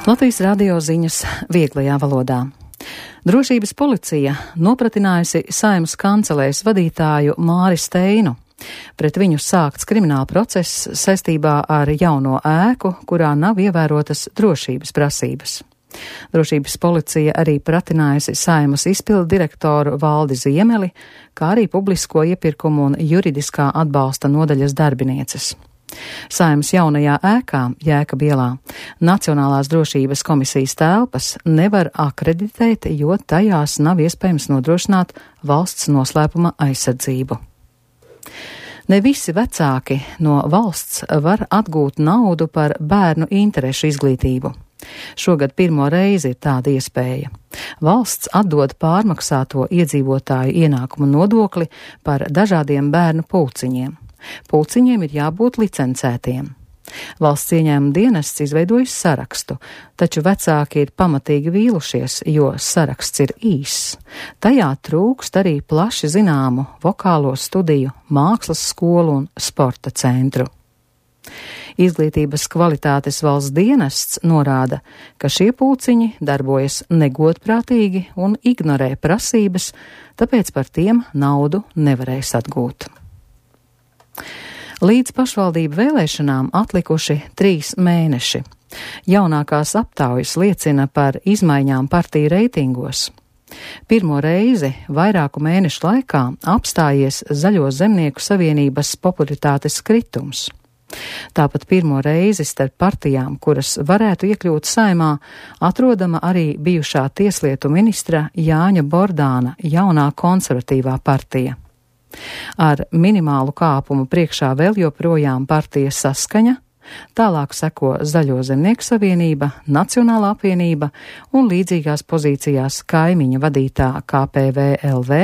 Latvijas radio ziņas vieglajā valodā. Drošības policija nopratinājusi Saeimas kancelēs vadītāju Māri Steinu. Pret viņu sākts krimināla process saistībā ar jauno ēku, kurā nav ievērotas drošības prasības. Drošības policija arī pratinājusi Saeimas izpildu direktoru Valdi Ziemeli, kā arī publisko iepirkumu un juridiskā atbalsta nodaļas darbinieces. Saeimas jaunajā ēkā, Jēkab ielā, Nacionālās drošības komisijas telpas nevar akreditēt, jo tajās nav iespējams nodrošināt valsts noslēpuma aizsardzību. Ne visi vecāki no valsts var atgūt naudu par bērnu interešu izglītību. Šogad pirmo reizi ir tāda iespēja. Valsts atdod pārmaksāto iedzīvotāju ienākumu nodokli par dažādiem bērnu pulciņiem. Pulciņiem ir jābūt licencētiem. Valsts ieņēmuma dienests izveidojis sarakstu, taču vecāki ir pamatīgi vīlušies, jo saraksts ir īss. Tajā trūkst arī plaši zināmu vokālo studiju, mākslas skolu un sporta centru. Izglītības kvalitātes valsts dienests norāda, ka šie pulciņi darbojas negodprātīgi un ignorē prasības, tāpēc par tiem naudu nevarēs atgūt. Līdz pašvaldību vēlēšanām atlikuši 3 mēneši. Jaunākās aptaujas liecina par izmaiņām partiju reitingos. Pirmo reizi vairāku mēnešu laikā apstājies Zaļo zemnieku savienības popularitātes kritums. Tāpat pirmo reizi starp partijām, kuras varētu iekļūt Saeimā, atrodama arī bijušā tieslietu ministra Jāņa Bordāna jaunā konservatīvā partija. Ar minimālu kāpumu priekšā vēl joprojām partija Saskaņa, tālāk seko Zaļo zemnieku savienība, Nacionālā apvienība un līdzīgās pozīcijās kaimiņa vadītā KPVLV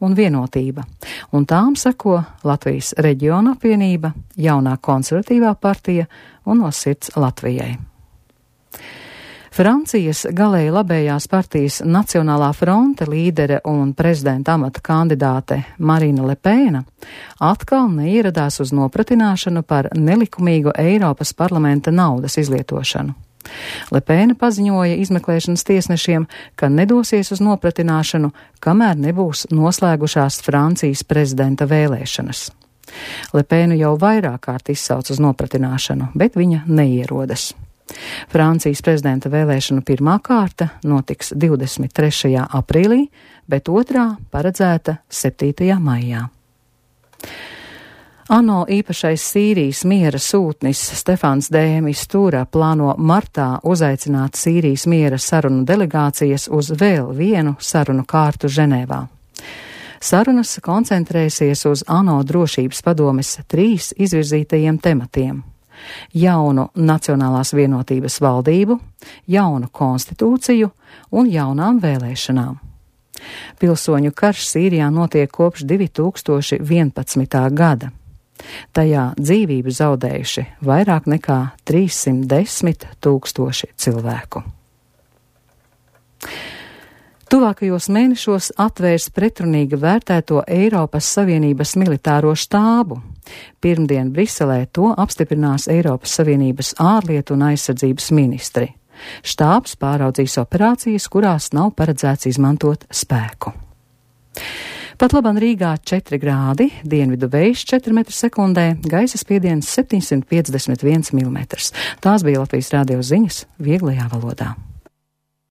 un Vienotība, un tām seko Latvijas reģiona apvienība, jaunā konservatīvā partija un No sirds Latvijai. Francijas galēji labējās partijas Nacionālā fronte līdere un prezidenta amata kandidāte Marine Le Pen atkal neieradās uz nopratināšanu par nelikumīgu Eiropas parlamenta naudas izlietošanu. Le Pen paziņoja izmeklēšanas tiesnešiem, ka nedosies uz nopratināšanu, kamēr nebūs noslēgušās Francijas prezidenta vēlēšanas. Le Penu jau vairāk kārt izsauc uz nopratināšanu, bet viņa neierodas. Francijas prezidenta vēlēšanu pirmā kārta notiks 23. aprīlī, bet otrā paredzēta 7. maijā. ANO īpašais Sīrijas miera sūtnis Stefans de Mistura plāno martā uzaicināt Sīrijas miera sarunu delegācijas uz vēl vienu sarunu kārtu Ženēvā. Sarunas koncentrēsies uz ANO drošības padomes 3 izvirzītajiem tematiem: jaunu Nacionālās vienotības valdību, jaunu konstitūciju un jaunām vēlēšanām. Pilsoņu karš Sīrijā notiek kopš 2011. gada. Tajā dzīvību zaudējuši vairāk nekā 310 000 cilvēku. Tuvākajos mēnešos atvērs pretrunīgi vērtēto Eiropas Savienības militāro štābu. Pirmdien Briselē to apstiprinās Eiropas Savienības ārlietu un aizsardzības ministri. Štābs pāraudzīs operācijas, kurās nav paredzēts izmantot spēku. Pat labam Rīgā 4 grādi, dienvidu vējš 4 m/sekundē, gaisa spiediens 751 mm. Tās bija Latvijas radio ziņas vieglajā valodā.